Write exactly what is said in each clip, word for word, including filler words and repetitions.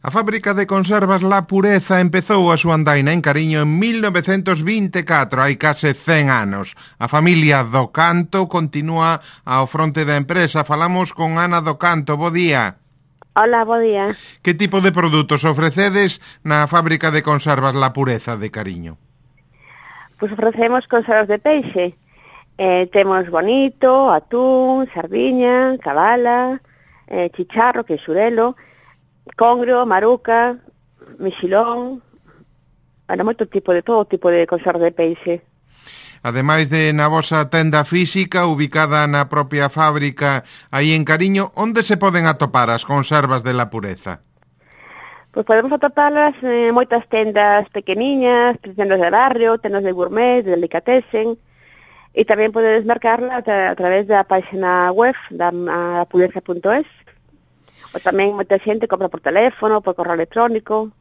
A fábrica de conservas La Pureza empezou a súa andaina en Cariño en mil novecentos vinte e catro, hai case cen anos. A familia do Canto continúa ao fronte da empresa. Falamos con Ana do Canto. Bo día. Hola, bo día. Que tipo de produtos ofrecedes na fábrica de conservas La Pureza de Cariño? Pois ofrecemos conservas de peixe. Eh, temos bonito, atún, sardiña, cabala, eh, chicharro, que é xurelo, congrio, maruca, mexilón, bueno, moito tipo de todo tipo de conserva de peixe. Ademais de na vosa tenda física, ubicada na propia fábrica aí en Cariño, onde se poden atopar as conservas de La Pureza? Pois podemos atopalas en moitas tendas pequeniñas, tendas de barrio, tendas de gourmet, de delicatessen, e tamén podedes marcarla a, a través da página web da lapureza punto es. O tamén moita xente compra por teléfono, por correo electrónico.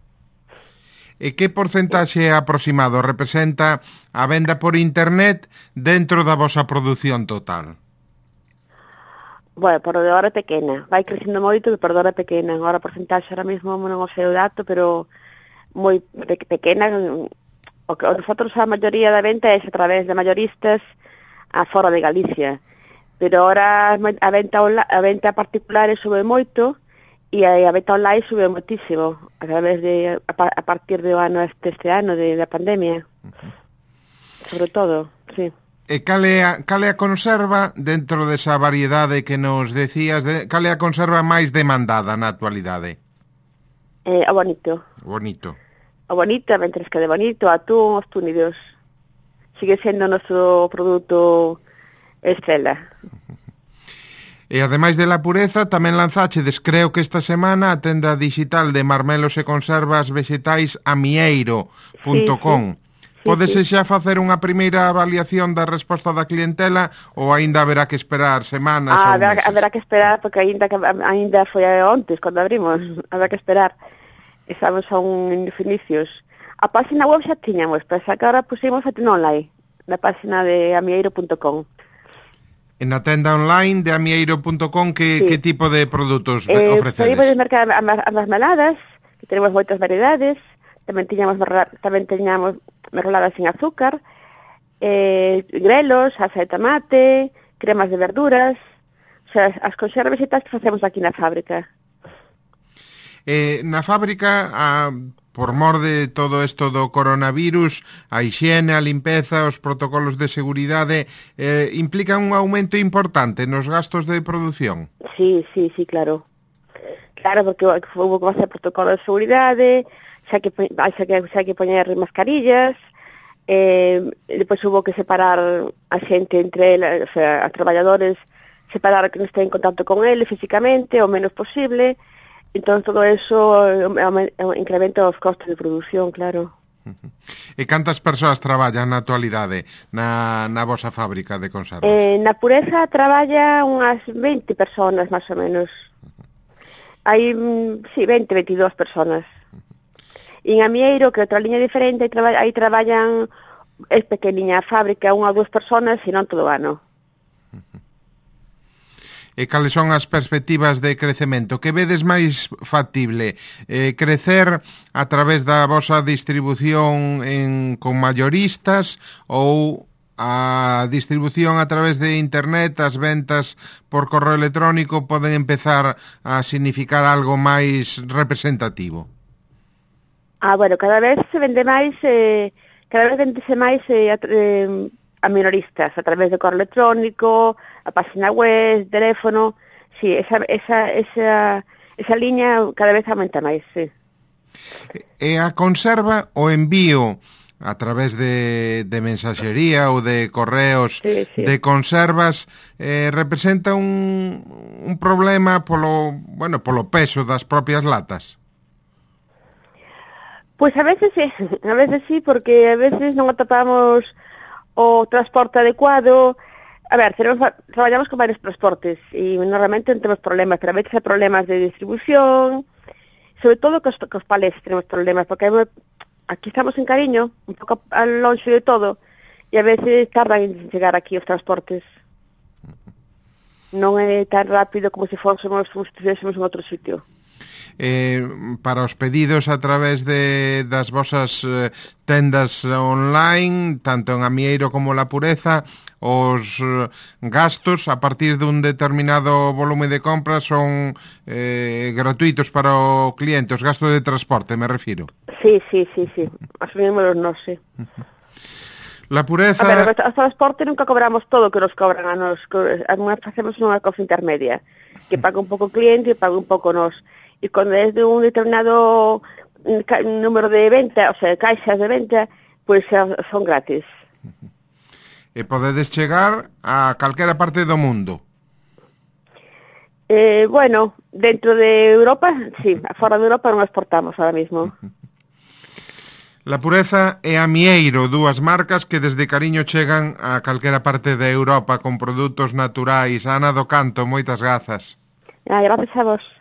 E que porcentaxe aproximado representa a venda por internet dentro da vosa produción total? Bueno, por de hora pequena. Vai crecendo moito, por de hora pequena. Agora a porcentaxe ahora mesmo non o sei o dato, pero moi pe- pequena. O que nosotros a maioría da venta é a través de mayoristas a fora de Galicia. Pero ahora a venta, a venta particular sube moito, e a, a venta online sube moitísimo a través de a, a partir do ano este, este ano de da pandemia. Uh-huh. Sobre todo, sí. E cal é a, cal é a conserva dentro desa variedade que nos decías, de, cal é a conserva máis demandada na actualidade? Eh, o bonito. Bonito. O bonito, a ventresca de bonito, atún, os túnidos. Sigue sendo o noso produto estrela. Uh-huh. E ademais de La Pureza, tamén lanzáchedes, creo que esta semana, a tenda digital de marmelos e conservas vegetais amieiro punto com. Sí, sí. Pódese xa facer unha primeira avaliación da resposta da clientela ou aínda haberá que esperar semanas ah, ou haberá, meses? Haberá que esperar, porque aínda, aínda foi ontes, cando abrimos. Haberá que esperar. Estamos a un inicios. A página web xa tiñamos, pero xa que ahora pusimos a tenda online, na página de amieiro punto com. En a tenda online de amieiro punto com, que, sí. que tipo de produtos eh, ofrecedes? Podes mercar as mermeladas, que tenemos moitas variedades, tamén tiñamos tamén tiñamos mermeladas sin azúcar, eh, grelos, salsa de tomate, cremas de verduras, o sea, as conservas e tal que facemos aquí na fábrica. Eh, na fábrica, a, por mor de todo isto do coronavirus, a hixiene, a limpeza, os protocolos de seguridade, eh, implican un aumento importante nos gastos de produción? Sí, sí, sí, claro. Claro, porque houve que facer protocolo de seguridade, xa que, xa que, xa que poñer mascarillas, eh, depois houve que separar a xente entre eles, o sea, os traballadores, separar que non estén en contacto con ele físicamente, o menos posible. Entón, todo eso incrementa os costos de produción, claro. E cantas persoas traballan na actualidade na, na vosa fábrica de conservas? Eh, na Pureza traballa unhas veinte personas, máis ou menos. Hai, sí, veinte, veintidós personas. E en Amieiro, que é outra liña diferente, aí, traba, aí traballan, é pequeniña a fábrica, unha ou dúas personas, e non todo o ano. E cales son as perspectivas de crecemento? Que vedes máis factible? Eh, crecer a través da vosa distribución en, con mayoristas ou a distribución a través de internet, as ventas por correo electrónico poden empezar a significar algo máis representativo? Ah, bueno, cada vez se vende máis, eh, cada vez vendese máis eh, eh, a minoristas, a través de correo electrónico, a página web, teléfono, sí, esa, esa, esa, esa liña cada vez aumenta máis, sí. E a conserva, o envío a través de, de mensaxería ou de correos sí, sí. de conservas, eh, representa un, un problema polo, bueno, polo peso das propias latas? Pois a veces sí, a veces sí, porque a veces non atopamos o transporte adecuado. A ver, tenemos, traballamos con varios transportes e normalmente non temos problemas, pero a veces hai problemas de distribución, sobre todo cos, cos palés tenemos problemas, porque hai, aquí estamos en Cariño, un pouco longe de todo, e a veces tardan en chegar aquí os transportes. Non é tan rápido como se fósemos, como se estivésemos en outro sitio. eh, para os pedidos a través de das vosas eh, tendas online, tanto en Amieiro como La Pureza, os eh, gastos a partir dun determinado volume de compras son eh, gratuitos para o cliente, os gastos de transporte, me refiro. Sí, sí, sí, sí, asumimos non, sí. La Pureza... A ver, o transporte nunca cobramos todo o que nos cobran a nos, además facemos unha cosa intermedia, que paga un pouco o cliente e paga un pouco nos. E cando é de un determinado número de venta, o sea, caixas de venta, pois pues, son gratis. E podedes chegar a calquera parte do mundo. Eh, bueno, dentro de Europa, sí, fora de Europa non exportamos ahora mismo. La Pureza e Amieiro, dúas marcas que desde cariño chegan a calquera parte de Europa con produtos naturais. Ana do Canto, moitas grazas. Ah, gracias a vos.